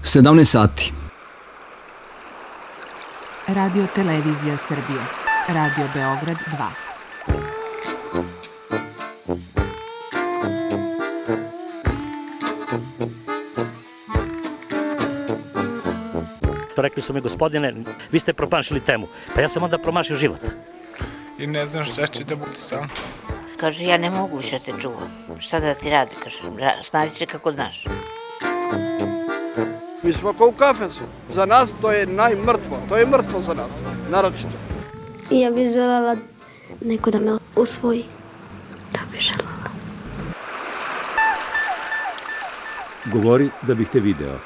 17 sati. Radio Televizija Srbije. Radio Beograd 2. Rekli su mi, gospodine, vi ste promašili temu. Pa ja sam onda promašio život. I ne znam šta će da bude sam. Kaže, ja ne mogu više te čuvam. Šta da ti radi, kaže, snađi se kako znaš. Mi smo kao u kafesu. Za nas to je najmrtvo. To je mrtvo za nas, naročito. Ja bih želela neko da me usvoji. To bih želela. Govori da bih te video.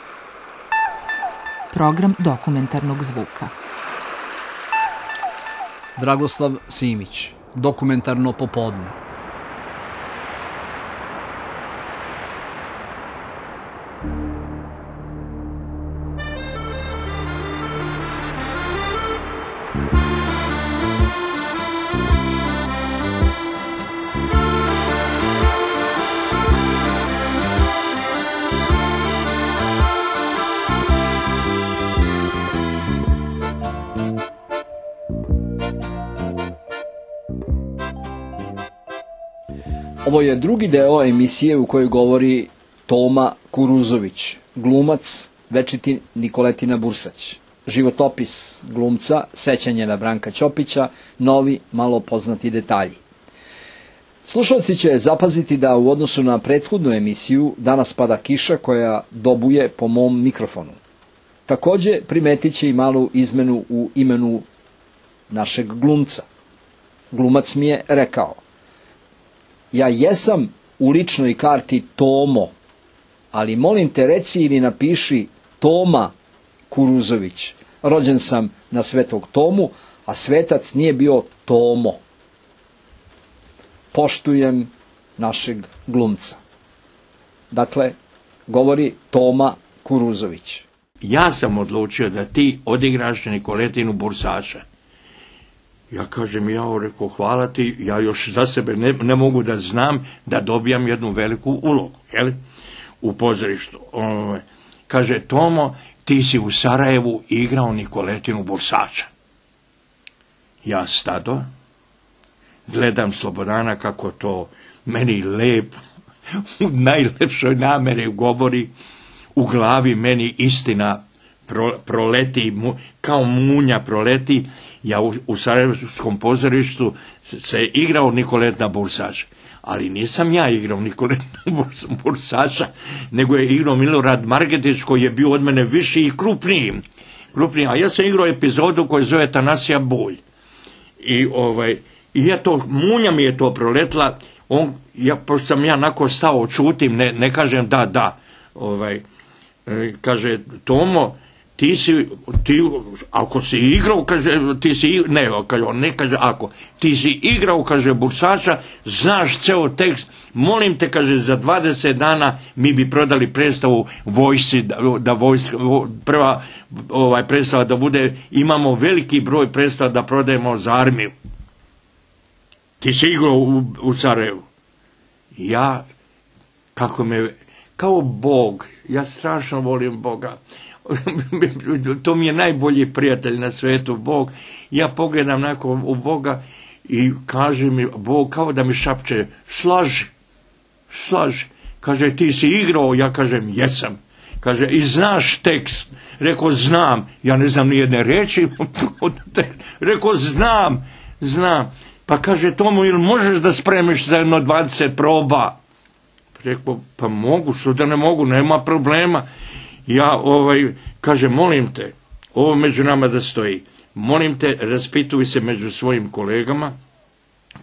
Program dokumentarnog zvuka. Dragoslav Simić, dokumentarno popodne. Ovo je drugi deo emisije u kojoj govori Toma Kuruzović, glumac večiti Nikoletina Bursać. Životopis glumca, sećanje na Branka Ćopića, novi, malo poznati detalji. Slušalci će zapaziti da u odnosu na prethodnu emisiju danas pada kiša koja dobuje po mom mikrofonu. Takođe primetit će i malu izmenu u imenu našeg glumca. Glumac mi je rekao: ja jesam u ličnoj karti Tomo, ali molim te reci ili napiši Toma Kuruzović. Rođen sam na Svetog Tomu, a svetac nije bio Tomo. Poštujem našeg glumca. Dakle, govori Toma Kuruzović. Ja sam odlučio da ti odigraš Nikoletinu Bursača. Ja kažem, rekao, hvala ti, ja još za sebe ne mogu da znam da dobijam jednu veliku ulogu, jel? U pozorištu. Kaže, Tomo, ti si u Sarajevu igrao Nikoletinu Bursača. Ja stado, gledam Slobodana kako to meni lepo, u najlepšoj nameri govori, u glavi meni istina proleti, kao munja proleti. Ja u Sarajevskom pozorištu se igrao Nikoletina Bursača, ali nisam ja igrao Nikoletina Bursača, nego je igrao Milorad Margetić, koji je bio od mene viši i krupniji. A ja sam igrao epizodu koju zove Tanasija Bulj. I munja mi je to proletla, pošto sam ja onako stao, čutim, ne kažem da. Kaže, Tomo, ako si igrao, kaže, ti si igrao, kaže, Bursača, znaš ceo tekst, molim te, kaže, za 20 dana mi bi prodali predstavu vojsci, prva predstava da bude, imamo veliki broj predstava da prodajemo za armiju. Ti si igrao u Sarajevu. Ja, kao Bog, ja strašno volim Boga. To mi je najbolji prijatelj na svetu, Bog. Ja pogledam nakon u Boga i kaže mi Bog kao da mi šapče, slaži. Kaže, ti si igrao, ja kažem, jesam. Kaže, i znaš tekst? Rekao, znam. Ja ne znam ni jedne reči. Rekao, znam. Pa kaže, Tomo, ili možeš da spremiš za jedno 20 proba? Rekao, pa mogu, što da ne mogu, nema problema. Ja, kaže, molim te, ovo među nama da stoji, molim te, raspituj se među svojim kolegama,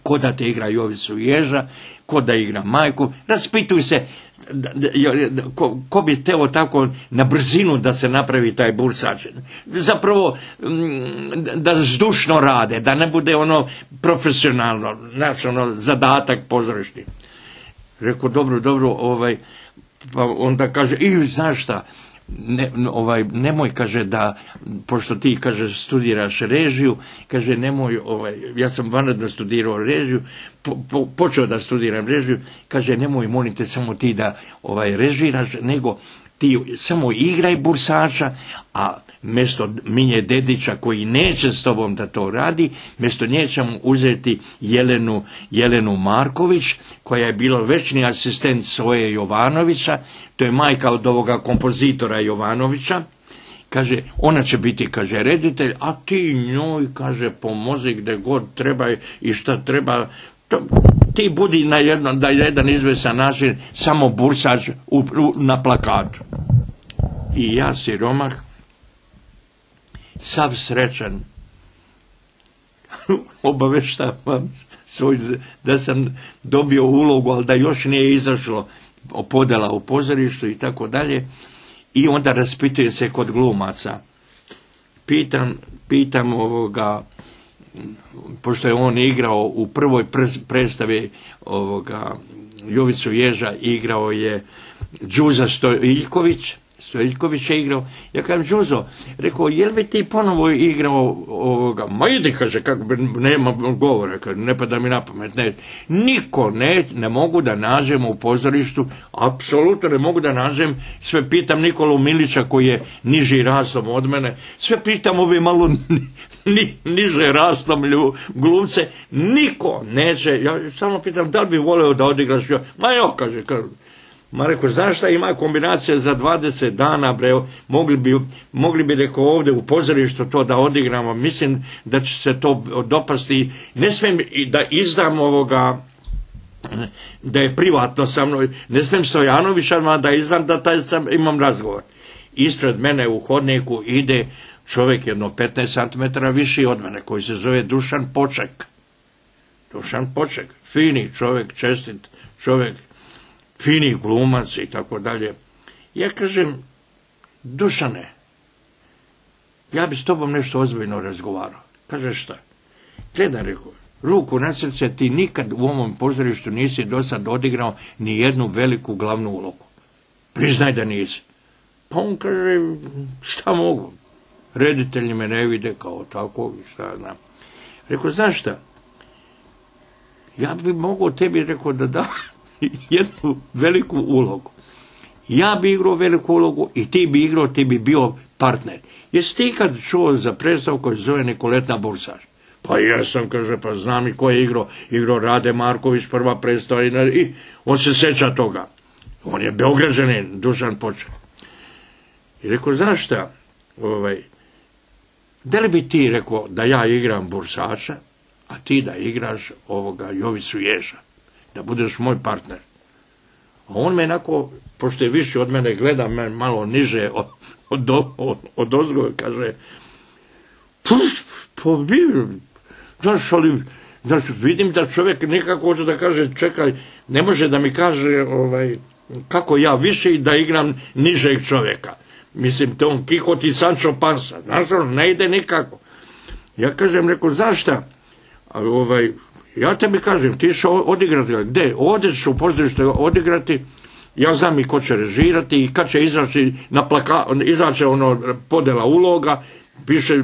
ko da te igra Jovicu Ježa, ko da igra Majku, raspituj se, ko bi teo tako na brzinu da se napravi taj Bursač. Zapravo, da zdušno rade, da ne bude profesionalno, zadatak pozorišni. Rekao, dobro, pa onda kaže, znaš šta, nemoj, kaže, da, pošto ti, kaže, studiraš režiju, kaže, nemoj, ja sam vanredno studirao režiju, počeo da studiram režiju, kaže, nemoj, molim te, samo ti da režiraš, nego ti samo igraj bursača, a mjesto Minje Dedića koji neće s tobom da to radi, mjesto nje ćemo uzeti Jelenu Marković, koja je bila večni asistent Soje Jovanovića, to je majka od ovoga kompozitora Jovanovića. Kaže, ona će biti, kaže, reditelj, a ti njoj, kaže, pomozi gdje god treba i šta treba, ti budi na jedan izvesan način samo bursač na plakatu. I ja, siromah, sav srećan, obaveštavam da sam dobio ulogu, ali da još nije izašlo podjela u pozorištu i tako dalje. I onda raspitujem se kod glumaca. Pitam ovoga, pošto je on igrao u prvoj predstavi ovoga Jovicu Ježa, igrao je Đuza Stojiljković je igrao. Ja kažem, Đuzo, rekao, jel bi ti ponovo igrao ovoga? Ma idi, kaže, kako nema govora, kaže, ne pada mi na pamet. Niko ne mogu da nađem u pozorištu, apsolutno ne mogu da nađem, sve pitam Nikolu Milića koji je niži rastom od mene, sve pitam ove malo niže rastom glumce, niko neće, ja samo pitam da li bi voleo da odigraš, ma jo, kaže, ma rekao, znaš šta, ima kombinacija za 20 dana, bre, mogli bi rekao ovdje u pozorištu to da odigramo, mislim da će se to dopasti, ne smijem da izdam ovoga, da je privatno sa mnom, ne smijem Stojanovića da izdam da imam razgovor. Ispred mene u hodniku ide čovjek jedno 15 cm viši od mene, koji se zove Dušan Poček, fini čovjek, čestit čovjek, fini glumac i tako dalje. Ja kažem, Dušane, ja bi s tobom nešto ozbiljno razgovarao. Kaže, šta? Gledaj, rekao, ruku na srce, ti nikad u ovom pozorištu nisi do sad odigrao ni jednu veliku glavnu ulogu. Priznaj da nisi. Pa on kaže, šta mogu? Reditelji me ne vide kao tako, šta znam. Rekao, znaš šta? Ja bi mogao tebi, rekao, da dam jednu veliku ulogu. Ja bi igrao veliku ulogu i ti bi igrao, ti bi bio partner. Jesi ti kad čuo za predstavu koji se zove Nikoletina Bursač? Pa jesam, kaže, pa znam i ko je igrao Rade Marković, prva predstava i on se sjeća toga. On je Beograđanin, Dušan Poček. I rekao, znaš šta, da li bi ti rekao da ja igram Bursača, a ti da igraš ovoga Jovicu Ježa, da budeš moj partner. A on me onako, pošto je viši od mene, gleda me malo niže od ozgo, kaže, znaš, vidim da čovjek nekako hoće da kaže, čekaj, ne može da mi kaže kako ja više da igram nižeg čovjeka. Mislim, to on Kihot i Sancho Pansa, znaš, on ne ide nikako. Ja kažem, rekao, znaš šta, ja tebi kažem, ti ćeš odigrati, gdje? Ovdje ćeš u pozorištu odigrati, ja znam i ko će režirati i kad će izaći podjela uloga,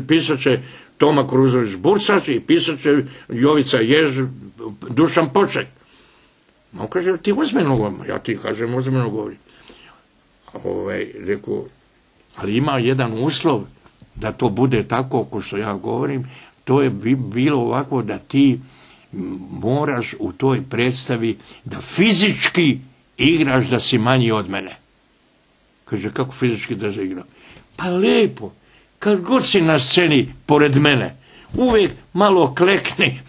pisat će Toma Kuruzović Bursač i pisat će Jovica Jež, Dušan Poček. On kaže, ti ozbiljno govorim? Ja ti kažem, ozbiljno govorim. Rekao, ali ima jedan uslov da to bude tako ko što ja govorim, to je bilo ovako da ti moraš u toj predstavi da fizički igraš da si manji od mene. Kaže, kako fizički da se igram? Pa lijepo, kad god si na sceni pored mene, uvijek malo klekni,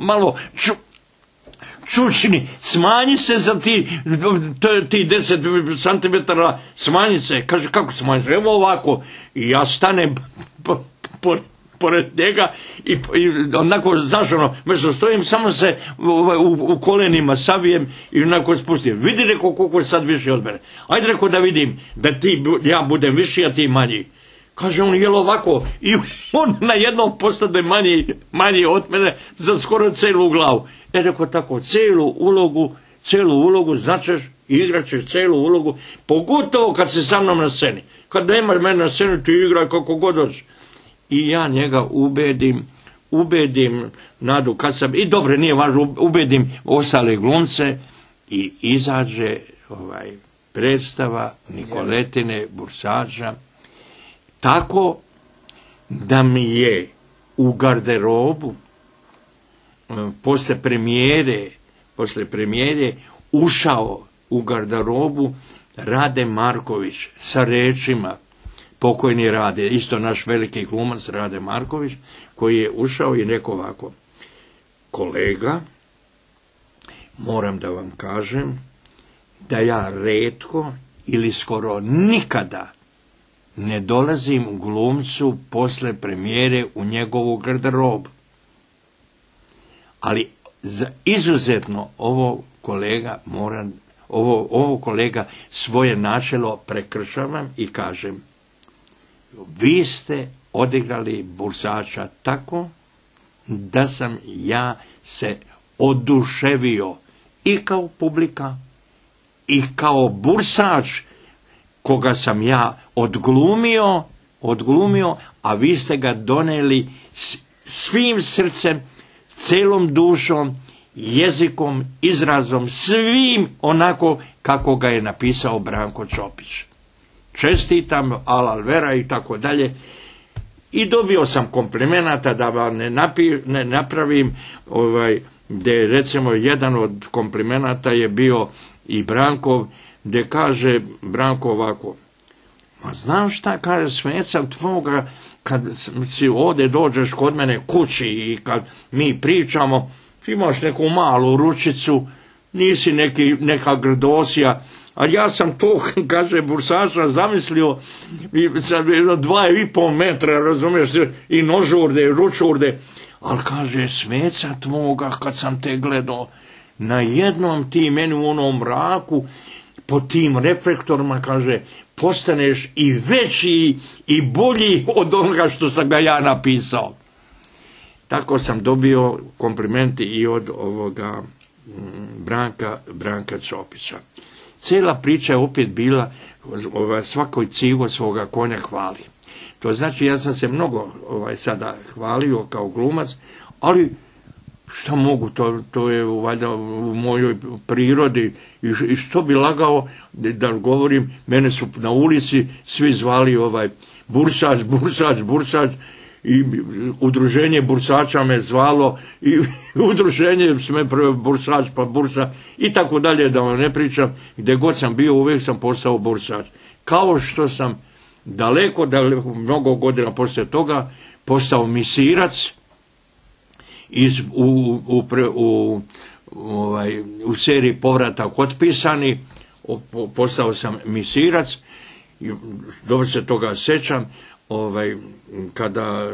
malo čučni, smanji se za ti 10 cm, smanji se. Kaže, kako smanji se? Evo ovako. I ja stanem pored njega i onako, znaš, mjesto stojim, samo se u kolenima savijem i onako spustim. Vidi, rekao, koliko je sad više od mene. Ajde, rekao, da vidim da ja budem viši, a ti manji. Kaže, on jel ovako i on na jednom postane manji od mene za skoro celu glavu. Rekao, tako, celu ulogu značeš i igrat ćeš celu ulogu, pogotovo kad si sa mnom na sceni. Kad nemaš mene na sceni, ti igraj kako god hoćeš. I ja njega ubedim Nadu Kasab, i dobro, nije važno, ubedim ostale glumce i izađe predstava Nikoletine Bursača, tako da mi je u garderobu posle premijere ušao u garderobu Rade Marković sa rečima, pokojni Rade, isto naš veliki glumac Rade Marković, koji je ušao i rekao ovako: kolega, moram da vam kažem da ja retko ili skoro nikada ne dolazim glumcu posle premijere u njegovu garderobu. Ali izuzetno ovo kolega svoje načelo prekršavam i kažem: vi ste odigrali Bursača tako da sam ja se oduševio i kao publika i kao Bursač koga sam ja odglumio, a vi ste ga doneli svim srcem, celom dušom, jezikom, izrazom, svim onako kako ga je napisao Branko Čopić. Čestitam, alal vera i tako dalje. I dobio sam komplimenata, da vam ne napravim, gdje recimo jedan od komplimenata je bio i Brankov, gdje kaže Branko ovako: ma znam šta, kaže, Sveca tvoga, kad si ovdje dođeš kod mene kući i kad mi pričamo, imaš neku malu ručicu, nisi neka grdosija, a ja sam to, kaže, Bursača zamislio sa 2,5 metra, razumiješ, i nožurde, i ručurde, ali kaže, Sveca tvoga, kad sam te gledao, na jednom ti meni u onom mraku, po tim reflektorima, kaže, postaneš i veći i bolji od onoga što sam ga ja napisao. Tako sam dobio komplimenti i od ovoga Branka Čopića. Cijela priča je opet bila, svakoj cigo svoga konja hvali. To znači, ja sam se mnogo sada hvalio kao glumac, ali šta mogu, to je valjda u mojoj prirodi, i što bi lagao da govorim, mene su na ulici svi zvali Bursač, i udruženje Bursača me zvalo, i udruženje sme Bursač pa Bursa, i tako dalje, da vam ne pričam, gdje god sam bio, uvijek sam postao Bursač. Kao što sam daleko, mnogo godina poslije toga, postao misirac, u seriji Povratak otpisani, postao sam misirac, i dobro se toga sećam, kada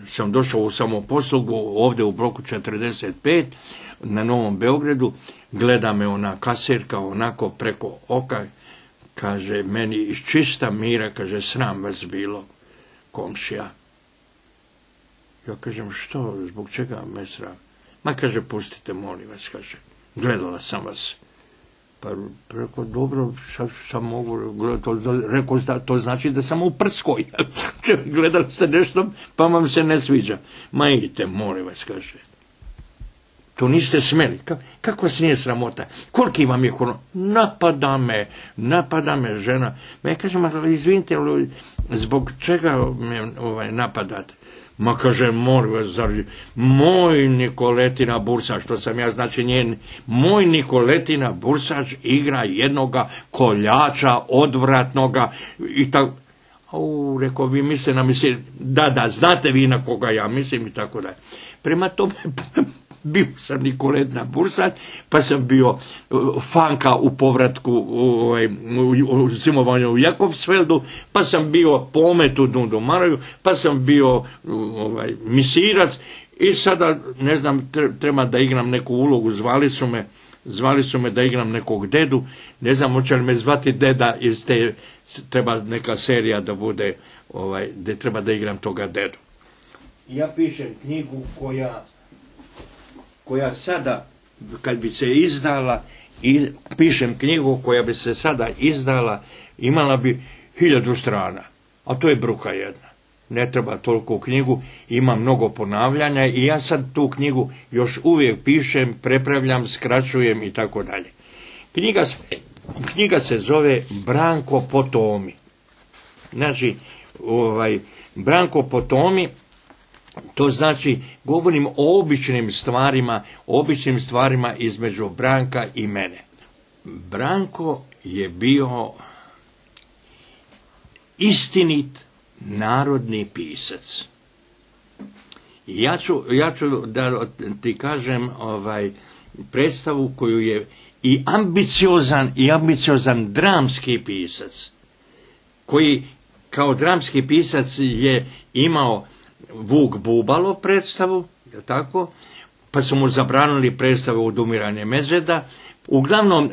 sam došao u samoposlugu ovdje u bloku 45 na Novom Beogradu, gleda me ona kasirka onako preko oka, kaže meni iz čista mira, kaže, sram vas bilo, komšija. Ja kažem, što, zbog čega me sram? Ma, kaže, pustite, molim vas, kaže, gledala sam vas. Pa rekao, dobro, šta mogu gledati? Rekao, to znači da sam u Prskoj. Gledali ste nešto, pa vam se ne sviđa. Ma idite, molim vas, kaže. To niste smeli. Kako vas nije sramota? Koliki vam je kono? Napada me žena. Ja kažem, izvinite, zbog čega me napadate? Ma, kaže, molim vas, zar moj Nikoletina Bursač, što sam ja, znači njen, moj Nikoletina Bursač igra jednoga koljača odvratnoga, i tako. Rekao, vi mislite na da, znate vi na koga ja mislim, i tako da. Prema tome, bio sam Nikoletina Bursač, pa sam bio Fanka u povratku, u zimovanju u Jakobsfeldu, pa sam bio Pomet u Dundumaraju, pa sam bio misirac, i sada, ne znam, treba da igram neku ulogu, zvali su me da igram nekog dedu, ne znam, hoće li me zvati deda, jer treba neka serija da bude, gdje treba da igram toga dedu. Ja pišem knjigu koja sada, kad bi se izdala, pišem knjigu koja bi se sada izdala, imala bi 1000 strana, a to je bruka jedna. Ne treba toliko knjigu, ima mnogo ponavljanja, i ja sad tu knjigu još uvijek pišem, prepravljam, skraćujem i tako dalje. Knjiga Knjiga se zove Branko po Tomi. Znači, Branko po Tomi, to znači, govorim o običnim stvarima između Branka i mene. Branko je bio istinit narodni pisac. Ja ću da ti kažem predstavu koju je i ambiciozan dramski pisac, koji kao dramski pisac je imao Vuk Bubalo predstavu, je tako? Pa su mu zabranili predstavu Odumiranje Medveda. Uglavnom,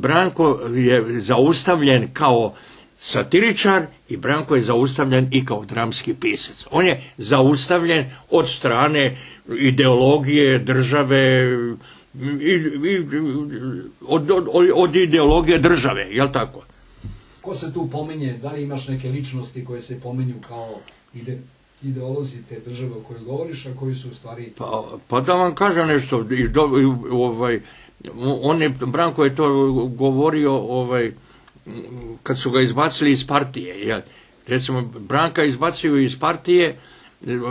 Branko je zaustavljen kao satiričar i Branko je zaustavljen i kao dramski pisac. On je zaustavljen od strane ideologije države, od ideologije države, jel tako? Ko se tu pominje, da li imaš neke ličnosti koje se pominju kao ideolozi te države o kojoj govoriš, a koji su u stvari... Pa da vam kažem nešto, Branko je to govorio kad su ga izbacili iz partije. Recimo, Branka izbacio iz partije,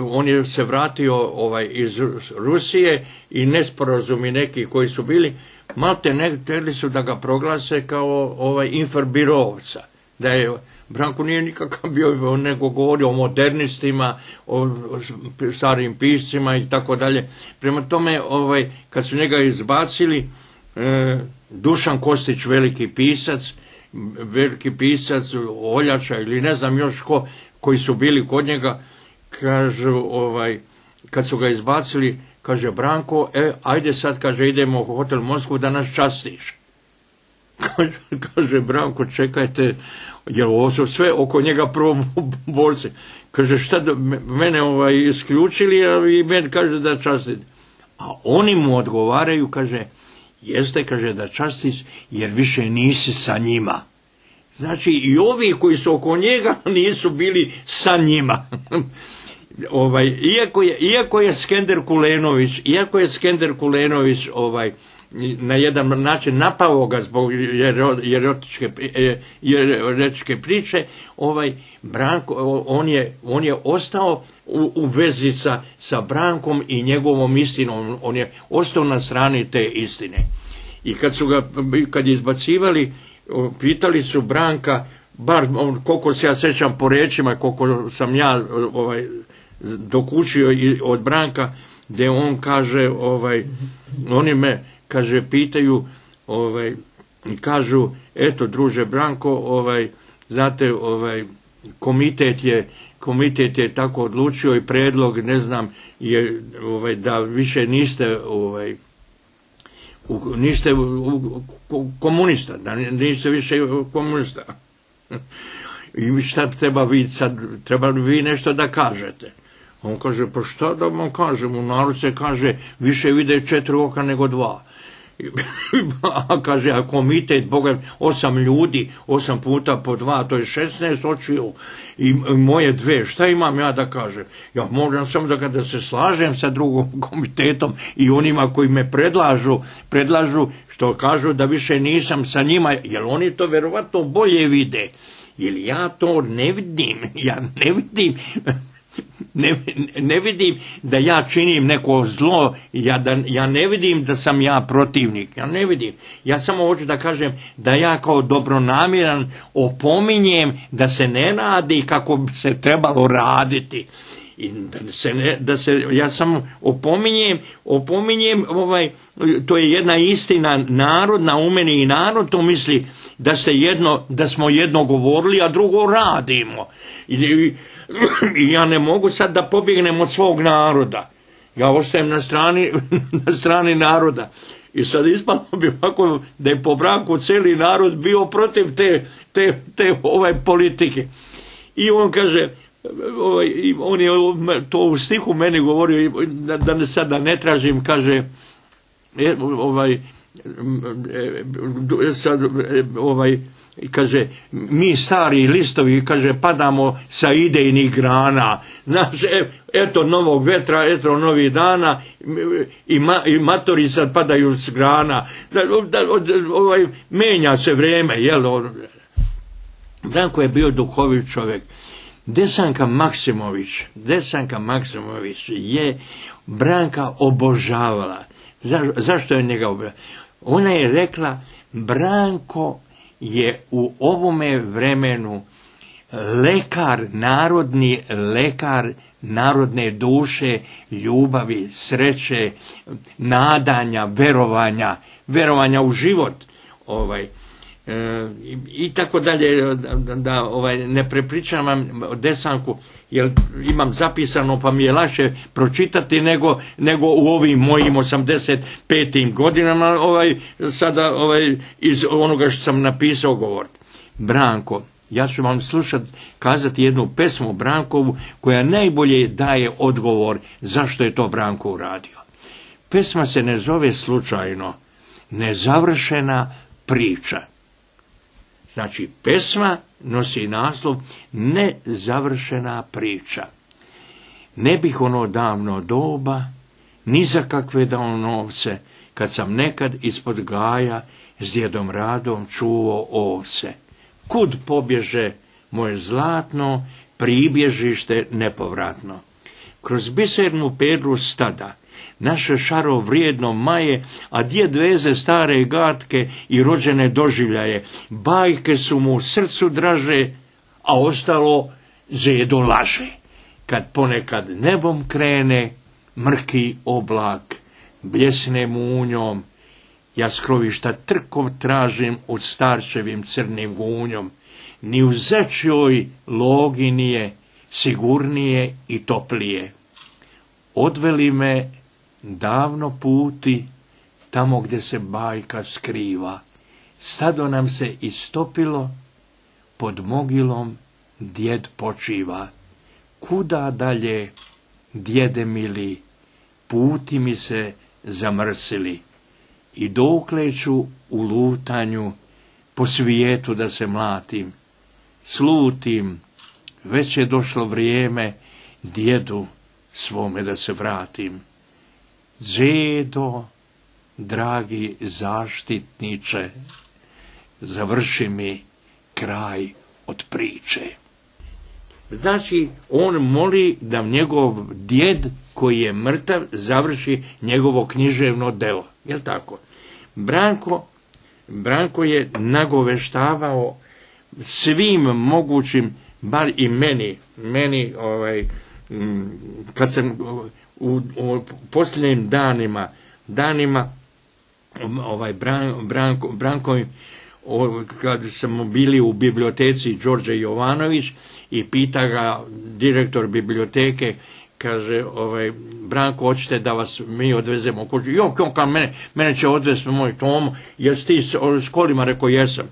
on je se vratio iz Rusije i nesporazumi neki koji su bili, malte htjeli su da ga proglase kao inferbirovca. Da je Branko nije nikakav bio, nego govorio o modernistima, o starim piscima i tako dalje. Prema tome, kad su njega izbacili, Dušan Kostić, veliki pisac, Oljača ili ne znam još koji su bili kod njega, kažu, kad su ga izbacili, kaže Branko, ajde sad, kaže, idemo u hotel Moskvu da nas častiš. Kaže Branko, čekajte, jer ovo su sve oko njega proborci. Kaže, šta, mene isključili, a i meni kaže da častit. A oni mu odgovaraju, kaže, jeste, kaže, da častiš, jer više nisi sa njima. Znači, i ovi koji su oko njega nisu bili sa njima. Iako je Skender Kulenović na jedan način napao ga zbog jeretičke priče, Branko, on je ostao u vezi sa Brankom i njegovom istinom, on je ostao na strani te istine. I kad je izbacivali, pitali su Branka, bar koliko se ja sećam po rečima, koliko sam ja dokučio od Branka, gdje on kaže, oni me, kaže, pitaju, kažu, eto, druže Branko, znate, komitet je tako odlučio i predlog, ne znam, je da više niste komunista, da niste više komunista. I šta treba vi sad, treba vi nešto da kažete? On kaže, pa šta da vam kažem, u narod se kaže, više vide 4 oka nego 2. A kaže, a komitet, Boga, 8 ljudi, 8 puta po 2, to je 16 očiju i moje 2, šta imam ja da kažem? Ja moram samo da se slažem sa drugom komitetom i onima koji me predlažu što kažu da više nisam sa njima, jer oni to verovatno bolje vide. Jer ja to ne vidim, ne vidim da ja činim neko zlo, ja ne vidim da sam ja protivnik, ja ne vidim. Ja samo hoću da kažem da ja kao dobronamjeran opominjem da se ne radi kako bi se trebalo raditi. I ja samo opominjem, to je jedna istina, narod na umeni i narod to misli da smo jedno govorili, a drugo radimo. I ja ne mogu sad da pobjegnem od svog naroda. Ja ostajem na strani naroda. I sad ispalo bi ovako da je po Branku cijeli narod bio protiv te politike. I on kaže, on je to u stihu meni govorio, da sada ne tražim, kaže, i kaže, mi stari listovi, kaže, padamo sa idejnih grana. Znaš, eto novog vetra, eto novih dana i matori sad padaju s grana. Menja se vreme, jel? Branko je bio duhovit čovjek. Desanka Maksimović je Branka obožavala. Zašto je njega obožavala? Ona je rekla, Branko je u ovome vremenu narodni lekar narodne duše, ljubavi, sreće, nadanja, verovanja u život. I tako dalje, da ne prepričavam Desanku, jer imam zapisano pa mi je lakše pročitati nego u ovim mojim 85. godinama sada iz onoga što sam napisao govoriti. Branko, ja ću vam kazati jednu pesmu Brankovu koja najbolje daje odgovor zašto je to Branko uradio. Pesma se ne zove slučajno Nezavršena priča. Znači, pesma nosi naslov Nezavršena priča. Ne bih ono davno doba, ni za kakve dao novce, kad sam nekad ispod gaja s djedom Radom čuvao ovce. Kud pobježe moje zlatno, pribježište nepovratno. Kroz bisernu pedru stada, naše šaro vrijedno maje, a djed veze stare gatke i rođene doživljaje. Bajke su mu u srcu draže, a ostalo zedo laže. Kad ponekad nebom krene, mrki oblak, bljesne munjom, ja skrovišta trkov tražim u starčevim crnim gunjom. Ni u zečjoj logi nije sigurnije i toplije. Odveli me davno puti, tamo gdje se bajka skriva. Stado nam se istopilo, pod mogilom djed počiva. Kuda dalje, djede mili, puti mi se zamrsili. I dokle ću u lutanju po svijetu da se mlatim. Slutim, već je došlo vrijeme djedu svome da se vratim. Džedo, dragi zaštitniče, završi mi kraj od priče. Znači, on moli da njegov djed koji je mrtav završi njegovo književno delo. Jel tako? Branko je nagoveštavao svim mogućim, bar i meni kad sam u posljednjim danima Branko, kad smo bili u biblioteci Đorđe Jovanović i pita ga direktor biblioteke, kaže, Branko, hoćete da vas mi odvezemo u kuću? Mene će odvesti moj Tomo, jesi ti s kolima? Rekao, jesam.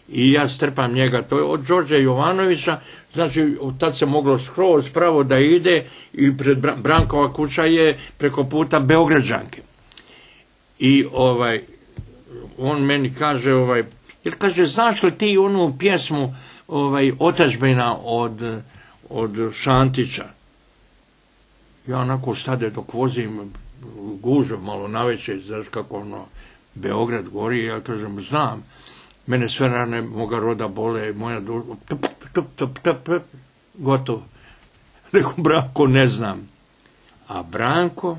I ja strpam njega, to je od Đorđa Jovanovića, znači tad se moglo skroz pravo da ide i pred Brankova kuća je preko puta Beograđanke. I on meni kaže, jer kaže, znaš li ti onu pjesmu Otadžbina od Šantića? Ja onako stade dok vozim gužve malo navečer, znaš kako Beograd gori, ja kažem, znam. Mene sve rane moga roda bole, moja duša, gotovo. Rekao, Branko, ne znam. A Branko,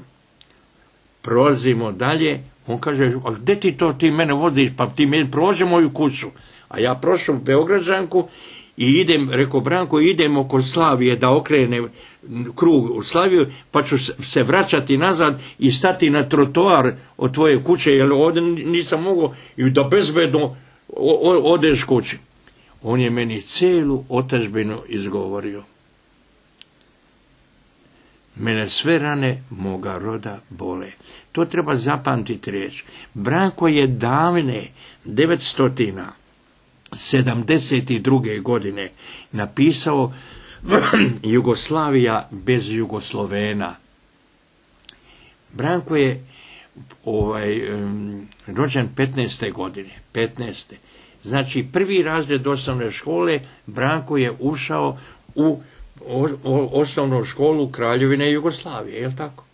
prolazimo dalje, on kaže, a gde ti mene vodiš, pa ti meni prođe moju kuću. A ja prošao u Beograđanku i idem, rekao, Branko, idemo kod Slavije da okrene krug u Slaviju, pa ću se vraćati nazad i stati na trotoar od tvoje kuće, jer ovdje nisam mogao i da bezbedno odeš kući. On je meni celu otadžbinu izgovorio. Mene sve rane moga roda bole. To treba zapamtiti riječ. Branko je davne 972. godine napisao Jugoslavija bez Jugoslovena. Branko je rođen 15. godine. Znači, prvi razred osnovne škole Branko je ušao u osnovnu školu Kraljevine Jugoslavije, je li tako?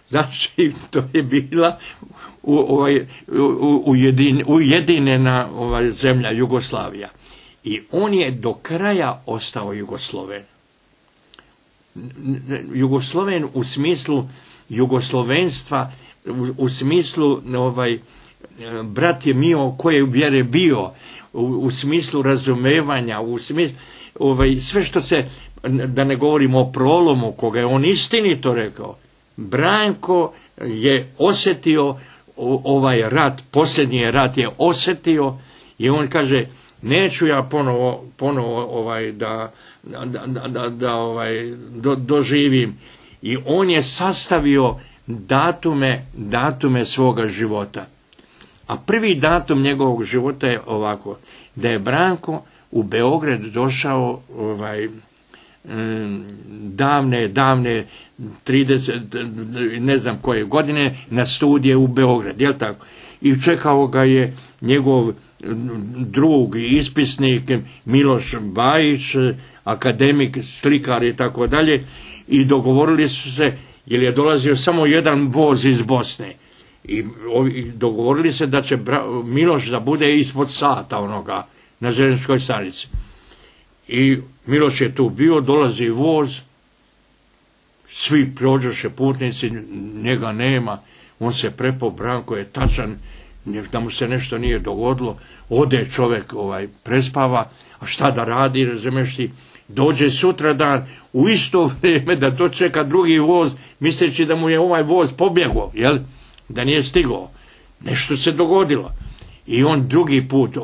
Znači, to je bila ujedinjena zemlja Jugoslavija. I on je do kraja ostao Jugosloven. Jugosloven u smislu jugoslovenstva, u smislu brat je mio koje vjere bio, u smislu razumevanja, u smislu sve što se, da ne govorimo o prolomu koga je on istinito rekao. Branko je osjetio ovaj rat, posljednji rat je osjetio i on kaže, neću ja ponovo doživim. I on je sastavio datume svoga života. A prvi datum njegovog života je ovako, da je Branko u Beograd došao davne 30, ne znam koje godine, na studije u Beograd, jel tako? I čekao ga je njegov drug i ispisnik Miloš Bajić, akademik, slikar i tako dalje, i dogovorili su se, jer je dolazio samo jedan voz iz Bosne, i dogovorili se da će Miloš da bude ispod sata onoga na željezničkoj stanici. I Miloš je tu bio, dolazi voz, svi prođoše putnici, njega nema, on se prepao, Branko je tačan, da mu se nešto nije dogodilo, ode čovjek prespava, a šta da radi, razumiješ ti, dođe sutradan u isto vrijeme da to čeka drugi voz, misleći da mu je ovaj voz pobjegao, jel? Da nije stigao. Nešto se dogodilo. I on drugi put,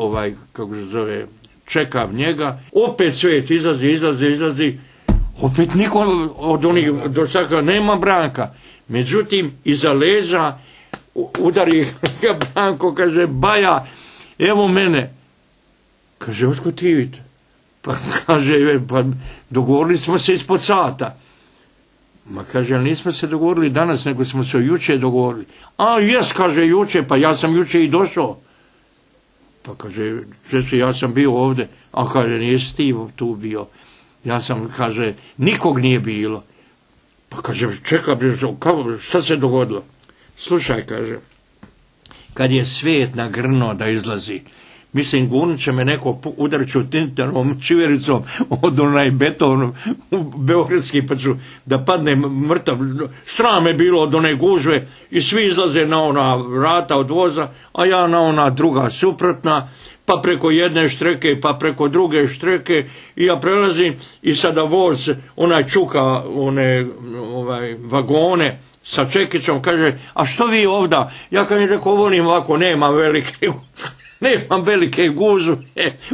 kako se zove, čeka njega, opet svijet izlazi, opet niko od onih došaka nema Branka. Međutim, iza leđa udari ga Branko, kaže, Baja, evo mene. Kaže, otkud ti vidite? Pa kaže, pa dogovorili smo se ispod sata. Ma kaže, ali nismo se dogovorili danas, nego smo se juče dogovorili. A jes, kaže, juče, pa ja sam juče i došao. Pa kaže, ja sam bio ovdje. A kaže, nisi ti tu bio. Ja sam, kaže, nikog nije bilo. Pa kaže, čekaj, šta se dogodilo? Slušaj, kaže, kad je svijet nagrnuo da izlazi, mislim, gurnut će me neko udarću tintanovom čivericom od onaj beton beogradski, pa ću da padne mrtav. Sram je bilo od one gužve i svi izlaze na ona vrata od voza, a ja na ona druga suprotna, pa preko jedne štreke, pa preko druge štreke, i ja prelazim i sada voz, onaj čuka one vagone sa čekićom, kaže, a što vi ovda? Ja kad mi rekao, volim ovako, nemam velike gužve,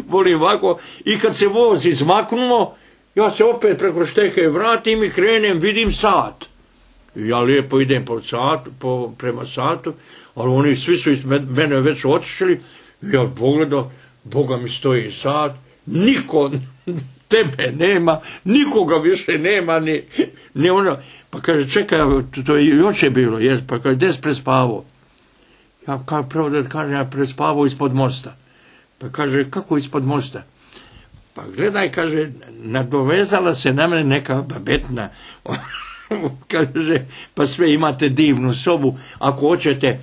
volim ovako, i kad se voz izmaknuo, ja se opet preko šteke vratim i krenem, vidim sat. I ja lijepo idem prema satu, ali oni svi su iz mene već otišli, i ja pogledao, Boga mi stoji sat, niko tebe nema, nikoga više nema, ni ono. Pa kaže, čekaj, to je juče bilo, pa kaže, gdje si prespavao? Ja prvo da kažem, ja prespavao ispod mosta. Pa kaže, kako ispod mosta? Pa gledaj, kaže, nadovezala se na mene neka babetna. Kaže, pa sve imate divnu sobu, ako hoćete,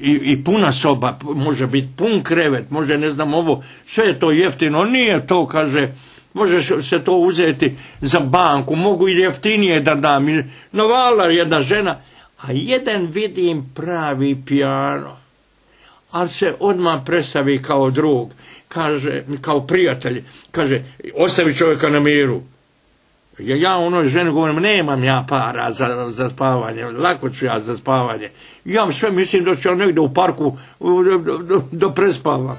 i puna soba, može biti pun krevet, može ne znam ovo, sve je to jeftino, nije to, kaže, može se to uzeti za banku, mogu i jeftinije da dam. Navala jedna žena, a jedan vidim pravi pijano, ali se odmah predstavi kao drug, kaže, kao prijatelj, kaže, ostavi čovjeka na miru. Ja onoj ženi govorim, nemam ja para za spavanje, lako ću ja za spavanje. Ja sve mislim da ću ja negdje u parku do prespava.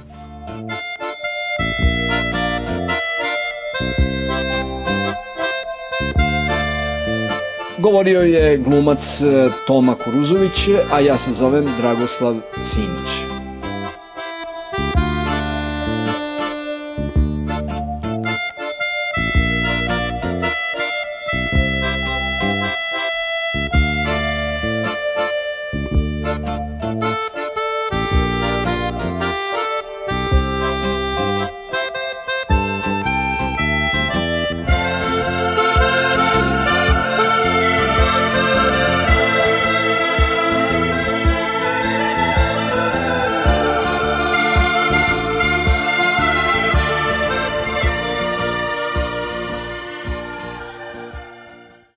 Govorio je glumac Toma Kuruzović, a ja se zovem Dragoslav Simić.